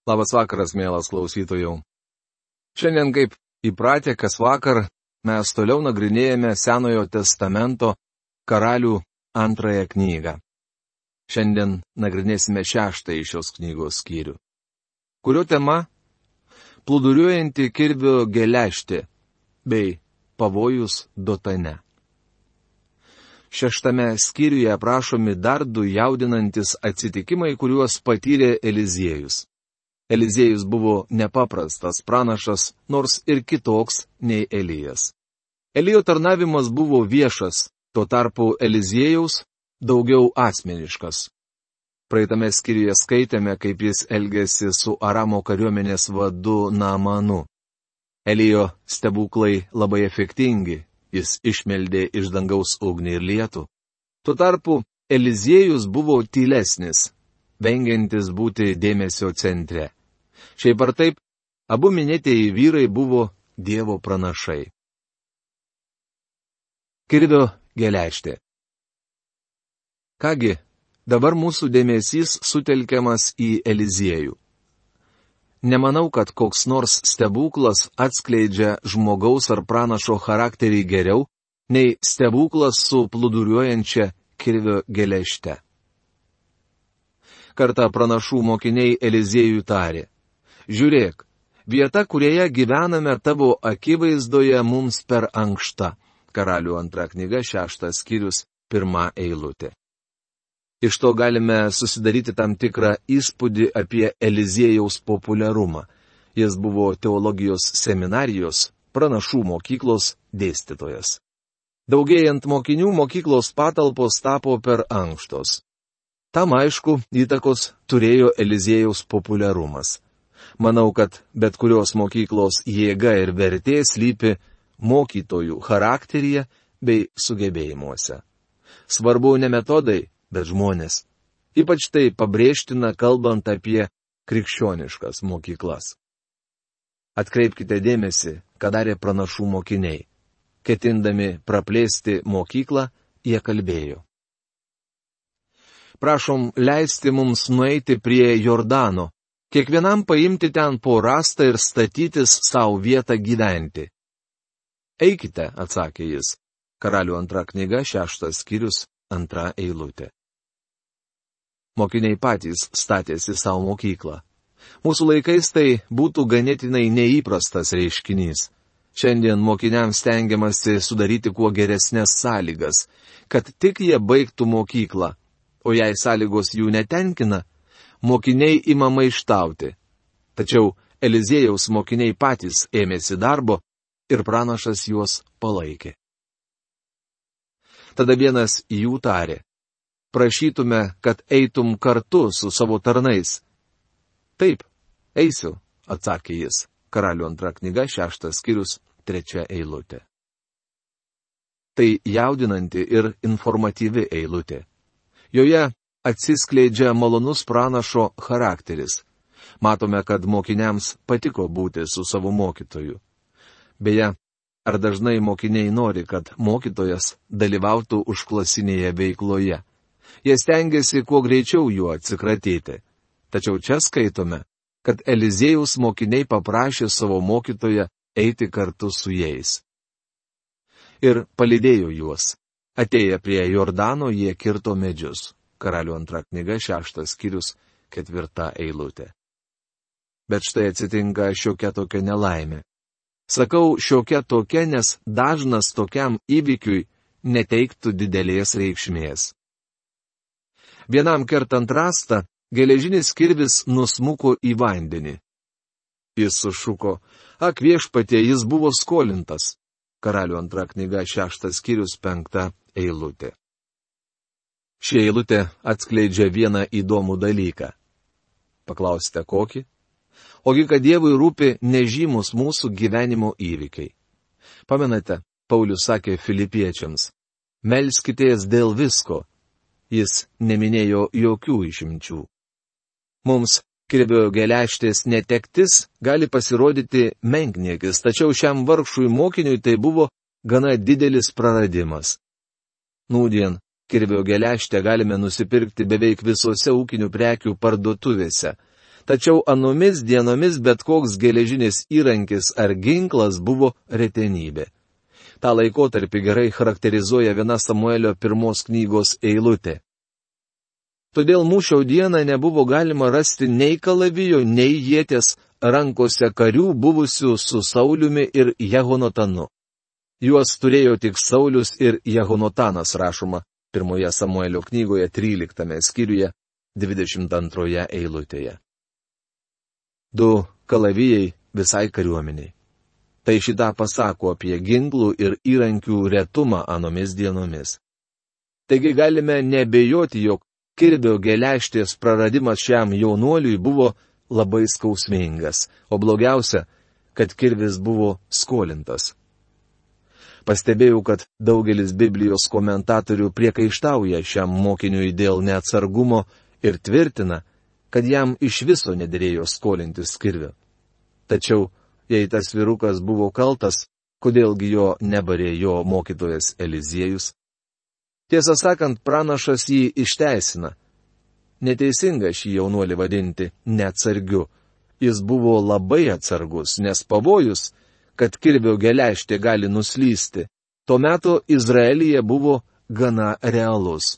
Labas vakaras, mielas klausytojų. Šiandien, kaip įpratę, kas vakar, mes toliau nagrinėjame Senojo testamento Karalių 2 knygą. Šiandien nagrinėsime 6 šios knygos skyrių, kurio tema - plūduriuojanti kirvio geležtė bei pavojus Dotane. 6 skyriuje aprašomi dar 2 jaudinantis atsitikimai, kuriuos patyrė Eliziejus. Eliziejus buvo nepaprastas pranašas, nors ir kitoks nei Elijas. Elijo tarnavimas buvo viešas, tuo tarpu Eliziejaus daugiau asmeniškas. Praeitame skyriuje skaitėme, kaip jis elgėsi su Aramo kariuomenės vadu Naamanu. Elijo stebuklai labai efektingi, jis išmeldė iš dangaus ugnį ir lietų. Tuo tarpu Eliziejus buvo tylesnis, vengiantis būti dėmesio centre. Šiaip ar taip, abu minėtieji vyrai buvo Dievo pranašai. Kirvio geležtė. Kągi, dabar mūsų dėmesys sutelkiamas į Eliziejų. Nemanau, kad koks nors stebuklas atskleidžia žmogaus ar pranašo charakterį geriau, nei stebuklas su plūduriuojančia kirvio geležte. Kartą pranašų mokiniai Eliziejui tarė: Žiūrėk, vieta, kurioje gyvename tavo akivaizdoje mums per ankšta. Karalių 2 knyga 6 skyrius 1 eilutė. Iš to galime susidaryti tam tikrą įspūdį apie Eliziejaus populiarumą. Jis buvo teologijos seminarijos, pranašų mokyklos dėstytojas. Daugėjant mokinių, mokyklos patalpos tapo per ankštos. Tam aišku, įtakos turėjo Eliziejaus populiarumas. Manau, kad bet kurios mokyklos jėga ir vertė slypi mokytojų charakteryje bei sugebėjimuose. Svarbu ne metodai, bet žmonės. Ypač tai pabrėžtina, kalbant apie krikščioniškas mokyklas. Atkreipkite dėmesį, ką darė pranašų mokiniai. Ketindami praplėsti mokyklą, jie kalbėjo: Prašom leisti mums nueiti prie Jordano, kiekvienam paimti ten po rastą ir statytis savo vietą gyventi. Eikite, atsakė jis. Karalių 2 knyga 6 skyrius 2 eilutė. Mokiniai patys statėsi savo mokyklą. Mūsų laikais tai būtų ganėtinai neįprastas reiškinys. Šiandien mokiniams stengiamasi sudaryti kuo geresnės sąlygas, kad tik jie baigtų mokyklą, o jei sąlygos jų netenkina, mokiniai ima maištauti. Tačiau Eliziejaus mokiniai patys ėmėsi darbo ir pranašas juos palaikė. Tada vienas jų tarė: Prašytume, kad eitum kartu su savo tarnais. Taip, eisiu, atsakė jis. Karalių 2 knyga 6 skyrius 3 eilutė. Tai jaudinanti ir informatyvi eilutė. Joje atsiskleidžia malonus pranašo charakteris. Matome, kad mokiniams patiko būti su savo mokytoju. Beje, ar dažnai mokiniai nori, kad mokytojas dalyvautų užklasinėje veikloje? Jie stengiasi kuo greičiau juo atsikratyti. Tačiau čia skaitome, kad Eliziejaus mokiniai paprašė savo mokytoją eiti kartu su jais. Ir palydėjo juos. Atėję prie Jordano, jie kirto medžius. Karalių 2 knyga 6 skyrius 4 eilutė. Bet štai atsitinka šiokia tokia nelaimė. Sakau šiokia tokia, nes dažnas tokiam įvykiui neteiktų didelės reikšmės. Vienam kertant rastą, geležinis kirvis nusmuko į vandenį. Jis sušuko: Ak viešpatie, jis buvo skolintas. Karalių 2 knyga 6 skyrius 5 eilutė. Ši eilutė atskleidžia vieną įdomų dalyką. Paklausite kokį? Ogi, kad Dievui rūpi nežymus mūsų gyvenimo įvykiai. Pamenate, Paulius sakė filipiečiams: Melskitės dėl visko. Jis neminėjo jokių išimčių. Mums kirvio geležtės netektis gali pasirodyti menkniekis, tačiau šiam vargšui mokiniui tai buvo gana didelis praradimas. Nūdien kirvio geležtę galime nusipirkti beveik visose ūkinių prekių parduotuvėse. Tačiau anomis dienomis bet koks geležinis įrankis ar ginklas buvo retenybė. Ta laikotarpį gerai charakterizuoja viena Samuelio 1 knygos eilutė. Todėl mūšio dieną nebuvo galima rasti nei kalavijo, nei ieties rankose karių buvusių su Sauliumi ir Jehonatanu. Juos turėjo tik Saulius ir Jehonotanas, rašoma 1 Samuelio knygoje 13 skyriuje 22 eilutėje. 2 kalavijai visai kariuomeniai. Tai šitą pasako apie ginklų ir įrankių retumą anomis dienomis. Taigi galime nebejoti, jog kirvio geležtės praradimas šiam jaunuoliui buvo labai skausmingas, o blogiausia, kad kirvis buvo skolintas. Pastebėjau, kad daugelis Biblijos komentatorių priekaištauja šiam mokiniui dėl neatsargumo ir tvirtina, kad jam iš viso nederėjo skolintis kirvio. Tačiau, jei tas vyrukas buvo kaltas, kodėlgi jo nebarė jo mokytojas Eliziejus? Tiesą sakant, pranašas jį išteisina. Neteisinga šį jaunuolį vadinti neatsargiu. Jis buvo labai atsargus, nes pavojus, kad kirvio geležtė gali nuslysti, tuo metu Izraelyje buvo gana realus.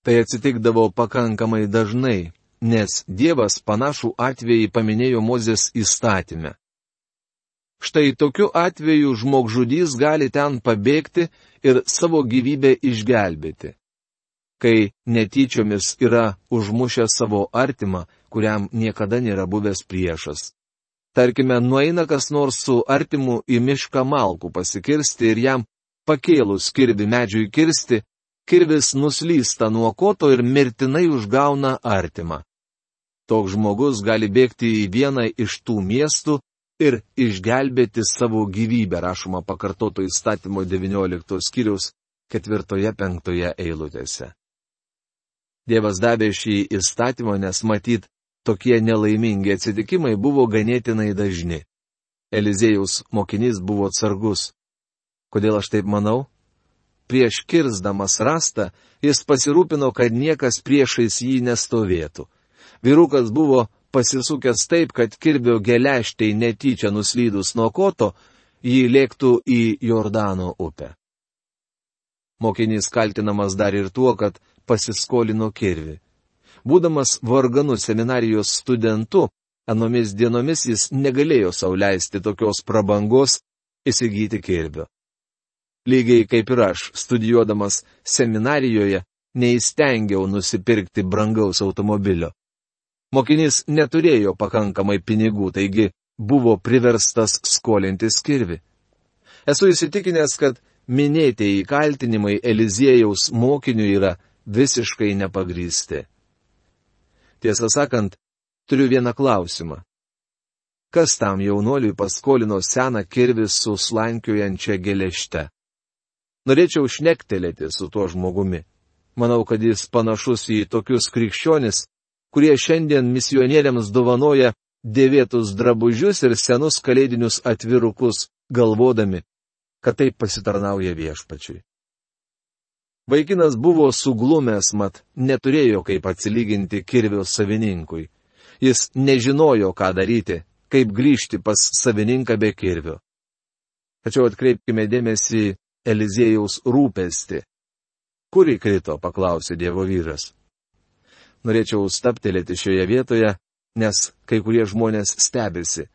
Tai atsitikdavo pakankamai dažnai, nes Dievas panašų atvejį paminėjo Mozės įstatyme. Štai tokiu atveju žmogžudys gali ten pabėgti ir savo gyvybę išgelbėti. Kai netyčiomis yra užmušęs savo artimą, kuriam niekada nėra buvęs priešas. Tarkime, nueina kas nors su artimu į mišką malkų pasikirsti ir jam pakėlus kirvį medžiui kirsti, kirvis nuslysta nuo koto ir mirtinai užgauna artimą. Toks žmogus gali bėgti į vieną iš tų miestų ir išgelbėti savo gyvybę, rašoma Pakartoto įstatymo 19 skyriaus 4-5 eilutėse. Dievas davė šį įstatymą, nes matyt, tokie nelaimingi atsitikimai buvo ganėtinai dažni. Eliziejaus mokinys buvo atsargus. Kodėl aš taip manau? Prieš kirsdamas rastą, jis pasirūpino, kad niekas priešais jį nestovėtų. Vyrukas buvo pasisukęs taip, kad kirvio geležtei netyčia nuslydus nuo koto, jį lėktų į Jordano upę. Mokinys kaltinamas dar ir tuo, kad pasiskolino kirvį. Būdamas varganų seminarijos studentu, anomis dienomis jis negalėjo sau leisti tokios prabangos įsigyti kirvio. Lygiai kaip ir aš, studijuodamas seminarijoje, neįstengiau nusipirkti brangaus automobilio. Mokinys neturėjo pakankamai pinigų, taigi buvo priverstas skolintis kirvį. Esu įsitikinęs, kad minėtieji kaltinimai Eliziejaus mokiniui yra visiškai nepagrįsti. Tiesą sakant, turiu vieną klausimą. Kas tam jaunuoliui paskolino seną kirvį su slankiojančia geležte? Norėčiau šnektelėti su tuo žmogumi. Manau, kad jis panašus į tokius krikščionis, kurie šiandien misionieriams dovanoja dėvėtus drabužius ir senus kalėdinius atvirukus, galvodami, kad taip pasitarnauja viešpačiui. Vaikinas buvo suglumęs, mat neturėjo kaip atsilyginti kirvio savininkui. Jis nežinojo, ką daryti, kaip grįžti pas savininką be kirvio. Tačiau atkreipkime dėmesį Eliziejaus rūpestį. Kur įkrito, paklausė Dievo vyras. Norėčiau stabtelėti šioje vietoje, nes kai kurie žmonės stebisi.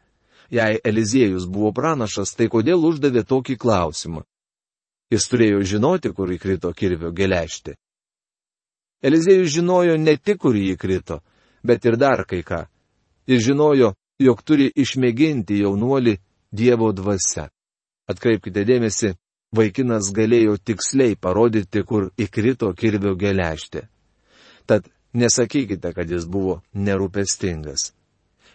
Jei Eliziejus buvo pranašas, tai kodėl uždavė tokį klausimą? Jis turėjo žinoti, kur įkrito kirvio geležtė. Eliziejus žinojo ne tik, kur jį įkrito, bet ir dar kai ką. Jis žinojo, jog turi išmėginti jaunuolį Dievo dvasia. Atkreipkite dėmesį, vaikinas galėjo tiksliai parodyti, kur įkrito kirvio geležtė. Tad nesakykite, kad jis buvo nerūpestingas.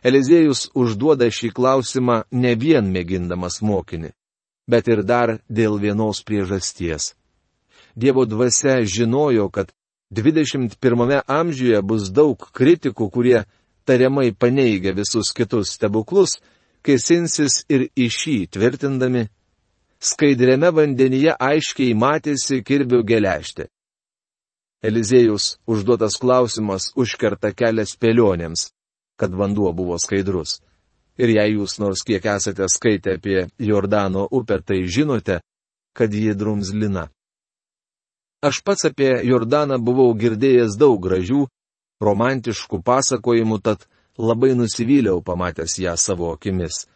Eliziejus užduoda šį klausimą ne vien mėgindamas mokinį, bet ir dar dėl vienos priežasties. Dievo dvasia žinojo, kad 21 amžiuje bus daug kritikų, kurie tariamai paneigia visus kitus stebuklus, kėsinsis ir į šį tvirtindami, skaidriame vandenyje aiškiai matėsi kirvio geležtė. Eliziejus užduotas klausimas užkerta kelią spėlionėms, kad vanduo buvo skaidrus. Ir jei jūs nors kiek esate skaitę apie Jordano upę, tai žinote, kad ji drumzlina. Aš pats apie Jordaną buvau girdėjęs daug gražių, romantiškų pasakojimų, tad labai nusivyliau pamatęs ją savo akimis.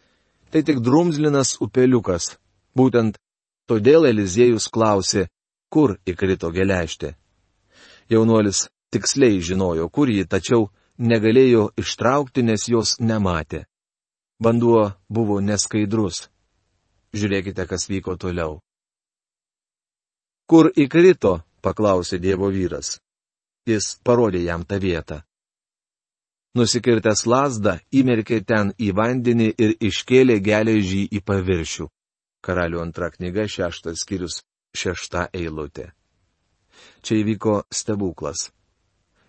Tai tik drumzlinas upeliukas. Būtent todėl Eliziejus klausė, kur įkrito geležtė. Jaunuolis tiksliai žinojo, kur ji, tačiau negalėjo ištraukti, nes jos nematė. Vanduo buvo neskaidrus. Žiūrėkite, kas vyko toliau. Kur įkrito, paklausė Dievo vyras. Jis parodė jam tą vietą. Nusikirtęs lazdą, įmerkė ten į vandenį ir iškėlė geležį į paviršių. Karalių antra knyga, 6 skyrius, 6 eilutė. Čia įvyko stebuklas.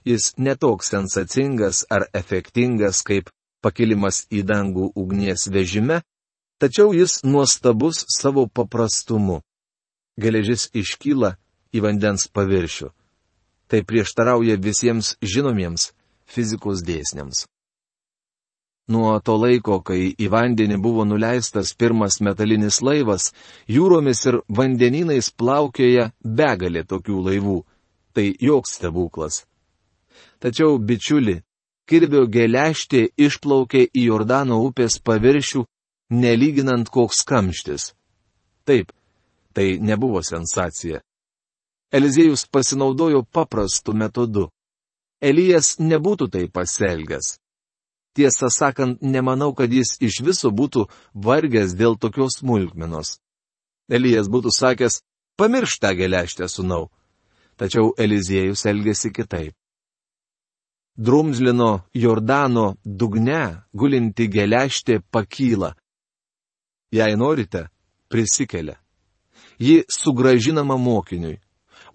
Jis netoks sensacingas ar efektingas kaip pakilimas į dangų ugnies vežime, tačiau jis nuostabus savo paprastumu. Geležis iškyla į vandens paviršių. Tai prieštarauja visiems žinomiems fizikos dėsniams. Nuo to laiko, kai į vandenį buvo nuleistas pirmas metalinis laivas, jūromis ir vandenynais plaukioja begalė tokių laivų. Tai joks stebuklas. Tačiau, bičiuli, kirvio geležtė išplaukė į Jordano upės paviršių, nelyginant koks kamštis. Taip, tai nebuvo sensacija. Eliziejus pasinaudojo paprastu metodu. Elijas nebūtų tai pasielgęs. Tiesą sakant, nemanau, kad jis iš viso būtų vargęs dėl tokios smulkmenos. Elijas būtų sakęs, pamiršk tą geležtę, sūnau. Tačiau Eliziejus elgėsi kitaip. Drumzlino Jordano dugne gulinti geležtė pakyla. Jei norite, prisikelia. Ji sugrąžinama mokiniui.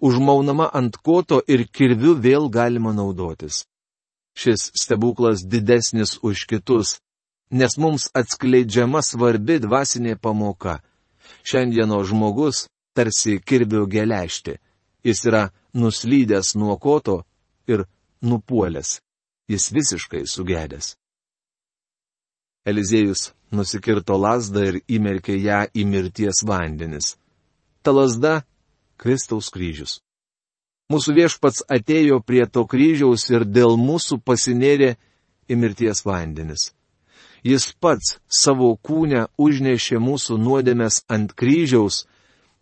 Užmaunama ant koto ir kirviu vėl galima naudotis. Šis stebuklas didesnis už kitus, nes mums atskleidžiama svarbi dvasinė pamoka. Šiandieno žmogus tarsi kirvio geležtė. Jis yra nuslydęs nuo koto ir nupuolęs. Jis visiškai sugedęs. Eliziejus nusikirto lazdą ir įmerkė ją į mirties vandenis. Ta lazda — Kristaus kryžius. Mūsų viešpats atėjo prie to kryžiaus ir dėl mūsų pasinėrė į mirties vandenis. Jis pats savo kūne užnešė mūsų nuodėmes ant kryžiaus,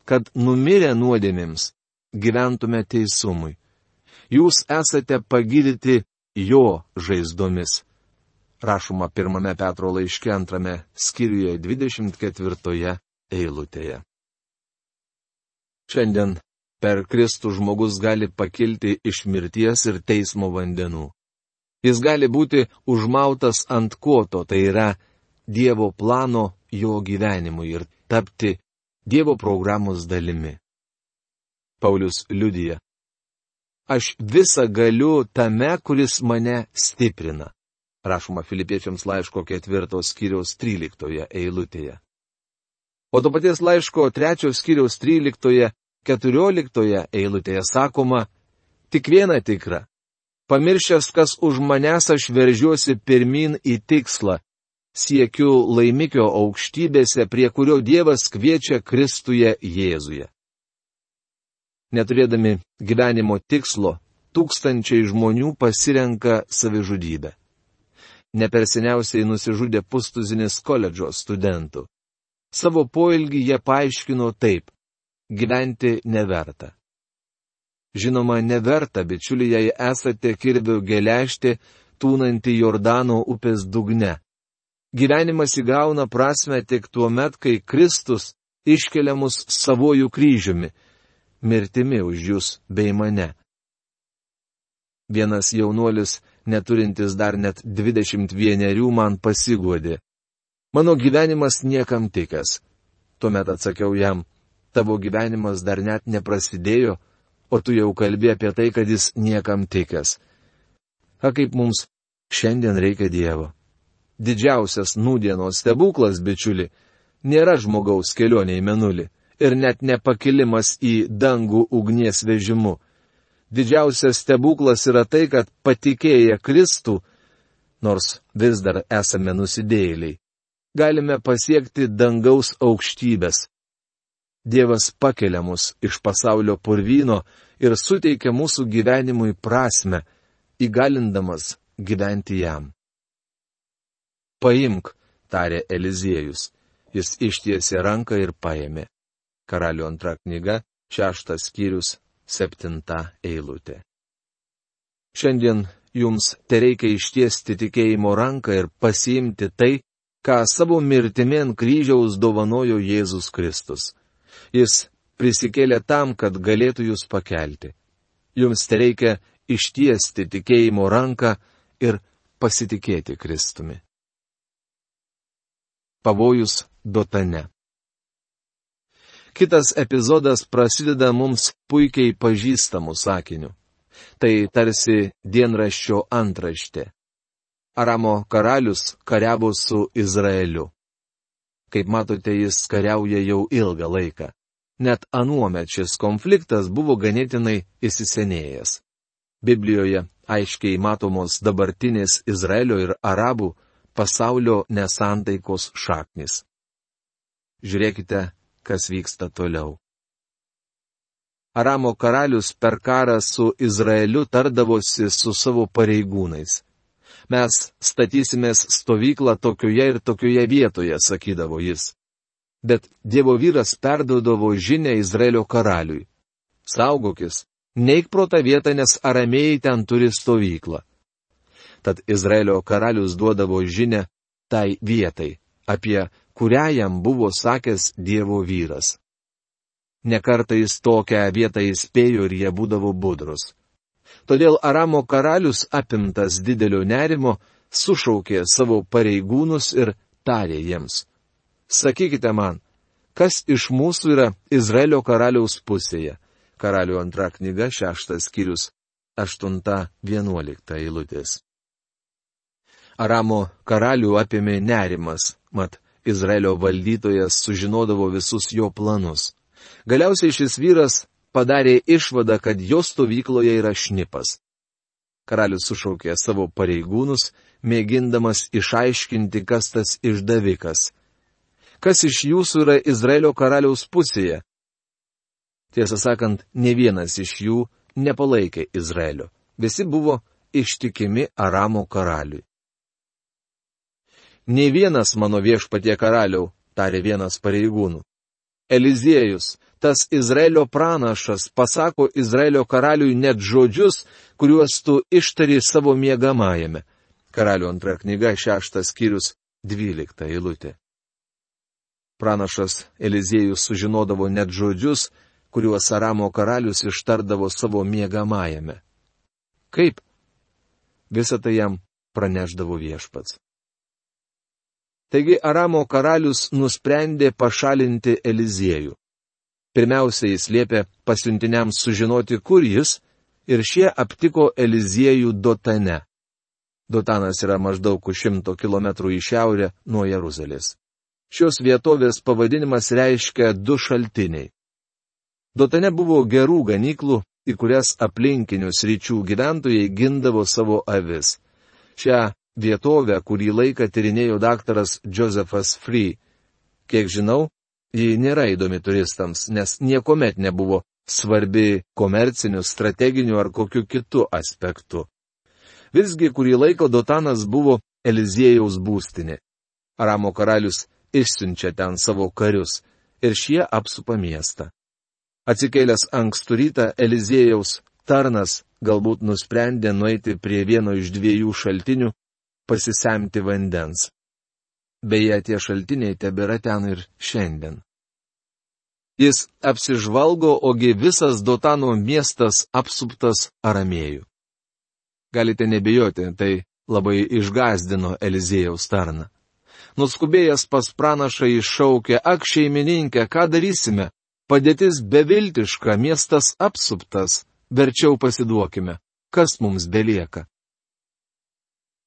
kad numirę nuodėmėms gyventume teisumui. Jūs esate pagydyti jo žaizdomis. Rašoma 1 Petro laiške 2 skyriuje 24 eilutėje. Šiandien per Kristų žmogus gali pakilti iš mirties ir teismo vandenų. Jis gali būti užmautas ant koto, tai yra Dievo plano jo gyvenimui ir tapti Dievo programos dalimi. Paulius liudija: Aš visą galiu tame, kuris mane stiprina. Rašoma Filipiečiams laiško 4 skyriaus 13 eilutėje. O to paties laiško 3 skyriaus 13-14 eilutėje sakoma: Tik viena tikra. Pamiršęs, kas už manęs, aš veržiuosi pirmin į tikslą. Siekiu laimikio aukštybėse, prie kurio Dievas kviečia Kristuje Jėzuje. Neturėdami gyvenimo tikslo, tūkstančiai žmonių pasirenka savižudybę. Neperseniausiai nusižudė pustuzinis koledžo studentų. Savo poelgį jie paaiškino taip: gyventi neverta. Žinoma, neverta, bičiuliai, jei esate kirvio geležtė, tūnanti Jordano upės dugne. Gyvenimas įgauna prasmę tik tuo met, kai Kristus iškelia mus savojų kryžiumi, mirtimi už jūs bei mane. Vienas jaunuolis, neturintis dar net 21, man pasiguodė: Mano gyvenimas niekam tikęs. Tuomet atsakiau jam: Tavo gyvenimas dar net neprasidėjo, o tu jau kalbi apie tai, kad jis niekam tikęs. Kaip mums šiandien reikia Dievo. Didžiausias nūdienos stebuklas, bičiuli, nėra žmogaus kelionė į mėnulį ir net nepakilimas į dangų ugnies vežimu. Didžiausias stebuklas yra tai, kad patikėję Kristų nors vis dar esame nusidėjėliai, galime pasiekti dangaus aukštybės. Dievas pakelia mus iš pasaulio purvyno ir suteikia mūsų gyvenimui prasmę, įgalindamas gyventi jam. Paimk, tarė Eliziejus. Jis ištiesė ranką ir paėmė. Karalių antra knyga, 6 skyrius, 7 eilutė. Šiandien jums tereikia ištiesti tikėjimo ranką ir pasiimti tai, ką savo mirtimi ant kryžiaus dovanojo Jėzus Kristus. Jis prisikėlė tam, kad galėtų jūs pakelti. Jums tereikia ištiesti tikėjimo ranką ir pasitikėti Kristumi. Pavojus Dotane. Kitas epizodas prasideda mums puikiai pažįstamų sakinių. Tai tarsi dienraščio antraštė. Aramo karalius kariavo su Izraeliu. Kaip matote, jis kariauja jau ilgą laiką. Net anuomet šis konfliktas buvo ganėtinai įsisenėjęs. Biblijoje aiškiai matomos dabartinės Izraelio ir arabų pasaulio nesantaikos šaknis. Žiūrėkite, kas vyksta toliau. Aramo karalius per karą su Izraeliu tardavosi su savo pareigūnais. Mes statysimės stovyklą tokioje ir tokioje vietoje, sakydavo jis. Bet Dievo vyras perduodavo žinią Izraelio karaliui. Saugokis, neik pro tą vietą, nes aramėjai ten turi stovyklą. Tad Izraelio karalius duodavo žinią tai vietai, apie kurią jam buvo sakęs Dievo vyras. Nekartais tokią vietą įspėjo ir jie būdavo budrus. Todėl Aramo karalius, apimtas didelio nerimo, sušaukė savo pareigūnus ir tarė jiems: Sakykite man, kas iš mūsų yra Izraelio karaliaus pusėje? Karalių antra knyga, 6 skyrius, 8-11 eilutės. Aramo karalių apėmė nerimas, mat Izraelio valdytojas sužinodavo visus jo planus. Galiausiai šis vyras padarė išvadą, kad jo stovykloje yra šnipas. Karalius sušaukė savo pareigūnus, mėgindamas išaiškinti, kas tas išdavikas. Kas iš jūsų yra Izraelio karaliaus pusėje? Tiesą sakant, ne vienas iš jų nepalaikė Izraelio. Visi buvo ištikimi Aramo karaliui. Ne vienas mano viešpatie karaliau, tarė vienas pareigūnų. Eliziejus, tas Izraelio pranašas, pasako Izraelio karaliui net žodžius, kuriuos tu ištari savo miegamajame. Karalių antra knyga, 6 skyrius, 12 eilutė. Pranašas Eliziejus sužinodavo net žodžius, kuriuos Aramo karalius ištardavo savo miegamajame. Kaip? Visą tai jam praneždavo viešpats. Taigi Aramo karalius nusprendė pašalinti Eliziejų. Pirmiausia, jis liepė pasiuntiniams sužinoti, kur jis, ir šie aptiko Eliziejų Dotane. Dotanas yra maždaug 100 km į šiaurę nuo Jeruzalės. Šios vietovės pavadinimas reiškia 2 šaltiniai. Dotane buvo gerų ganyklų, į kurias aplinkinių sričių gyventojai gindavo savo avis. Šią vietovę kurį laiką tyrinėjo daktaras Josephas Free. Kiek žinau, ji nėra įdomi turistams, nes niekuomet nebuvo svarbi komerciniu, strateginiu ar kokiu kitu aspektu. Visgi kurį laiką Dotanas buvo Eliziejaus būstinė. Aramo karalius išsiunčia ten savo karius ir šie apsupa miestą. Atsikėlęs ankstų rytą Eliziejaus tarnas galbūt nusprendė nueiti prie vieno iš 2 šaltinių, pasisemti vandens. Beje, tie šaltiniai tebėra ten ir šiandien. Jis apsižvalgo, ogi visas Dotano miestas apsuptas aramėjų. Galite nebijoti, tai labai išgąsdino Eliziejaus tarną. Nuskubėjęs pas pranašą iššaukė: Ak, šeimininkė, ką darysime? Padėtis beviltiška, miestas apsuptas, verčiau pasiduokime, kas mums belieka?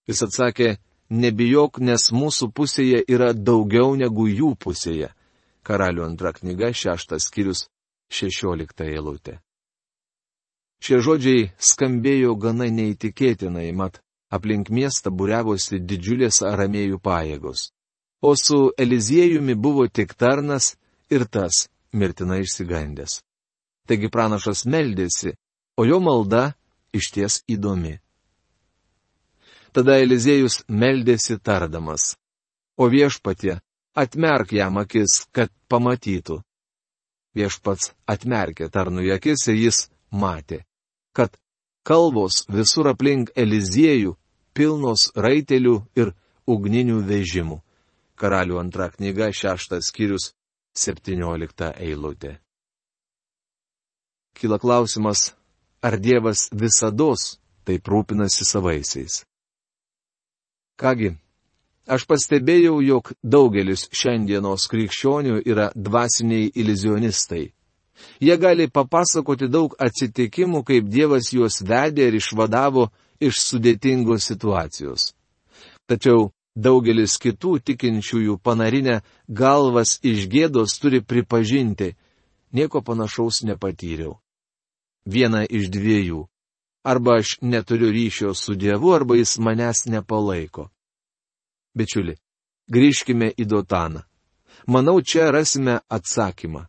Jis atsakė: Nebijok, nes mūsų pusėje yra daugiau negu jų pusėje. Karalių antra knyga, 6 skyrius, 16 eilutė. Šie žodžiai skambėjo gana neįtikėtinai, mat aplink miestą būriavosi didžiulės aramėjų pajėgos. O su Eliziejumi buvo tik tarnas ir tas mirtinai išsigandęs. Taigi pranašas meldėsi, o jo malda išties įdomi. Tada Eliziejus meldėsi tardamas, o viešpatie atmerk jam akis, kad pamatytų. Viešpats atmerkė tarnui akis ir jis matė, kad kalvos visur aplink Eliziejų pilnos raitelių ir ugninių vežimų. Karalių antra knyga 6 skyrius 17 eilutė. Kyla klausimas, ar Dievas visados taip rūpinasi savaisiais? Kągi, aš pastebėjau, jog daugelis šiandienos krikščionių yra dvasiniai iluzionistai. Jie gali papasakoti daug atsitikimų, kaip Dievas juos vedė ir išvadavo iš sudėtingos situacijos. Tačiau daugelis kitų tikinčiųjų panarinę galvas iš gėdos turi pripažinti, nieko panašaus nepatyriau. Viena iš dviejų. Arba aš neturiu ryšio su Dievu, arba jis manęs nepalaiko. Bičiuli, grįžkime į Dotaną. Manau, čia rasime atsakymą.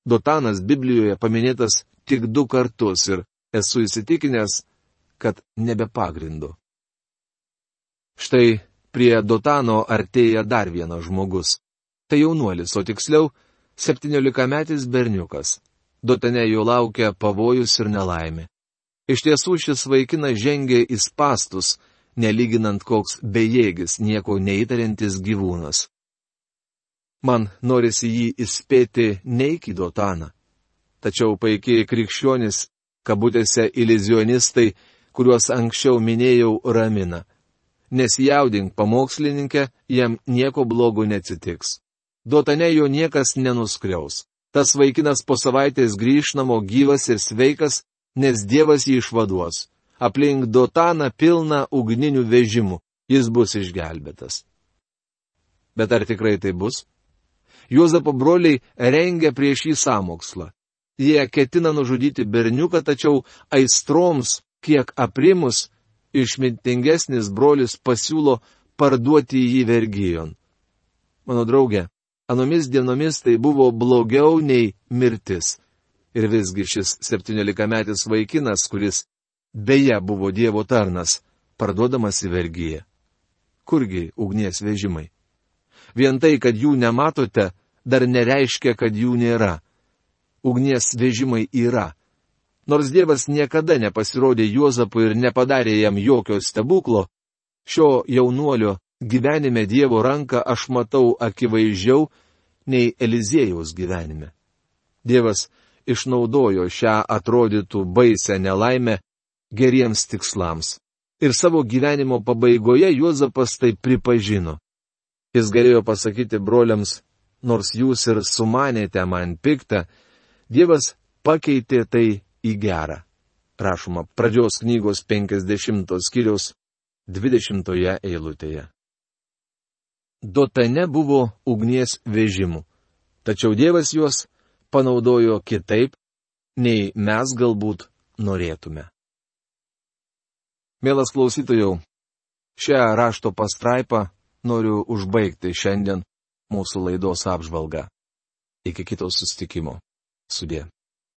Dotanas Biblijoje paminėtas tik 2 kartus ir esu įsitikinęs, kad nebe pagrindu. Štai prie Dotano artėja dar vienas žmogus. Tai jaunuolis, o tiksliau 17-metis berniukas. Dotane jo laukia pavojus ir nelaimė. Iš tiesų šis vaikinas žengė į spastus, nelyginant koks bejėgis, nieko neįtariantis gyvūnas. Man norisi jį įspėti neik į Dotaną. Tačiau paikiai krikščionis, kabutėse iluzionistai, kuriuos anksčiau minėjau, ramina. Nesijaudink, pamokslininkė, jam nieko blogo neatsitiks. Dotane jo niekas nenuskriaus. Tas vaikinas po savaitės grįš namo gyvas ir sveikas, nes Dievas jį išvaduos. Aplink Dotaną pilna ugninių vežimų, jis bus išgelbėtas. Bet ar tikrai tai bus? Juozapo broliai rengia prieš jį sąmokslą. Jie ketina nužudyti berniuką, tačiau aistroms, kiek aprimus, išmintingesnis brolis pasiūlo parduoti jį vergijon. Mano draugė, anomis dienomis tai buvo blogiau nei mirtis. Ir visgi šis 17-metis vaikinas, kuris beje buvo Dievo tarnas, parduodamas į vergiją. Kurgi ugnies vežimai? Vien tai, kad jų nematote, dar nereiškia, kad jų nėra. Ugnies vežimai yra. Nors Dievas niekada nepasirodė Juozapui ir nepadarė jam jokio stebuklo, šio jaunuolio gyvenime Dievo ranką aš matau akivaizdžiau nei Eliziejaus gyvenime. Dievas išnaudojo šią atrodytų baisę nelaimę geriems tikslams. Ir savo gyvenimo pabaigoje Juozapas tai pripažino. Jis galėjo pasakyti broliams, nors jūs ir sumanėte man piktą, Dievas pakeitė tai į gerą. Rašoma pradžios knygos 50 skyriaus 20 eilutėje. Dotane buvo ugnies vežimų, tačiau Dievas juos panaudojo kitaip, nei mes galbūt norėtume. Mielas klausytojau, šią rašto pastraipą noriu užbaigti šiandien mūsų laidos apžvalgą. Iki kito susitikimo. Sudie.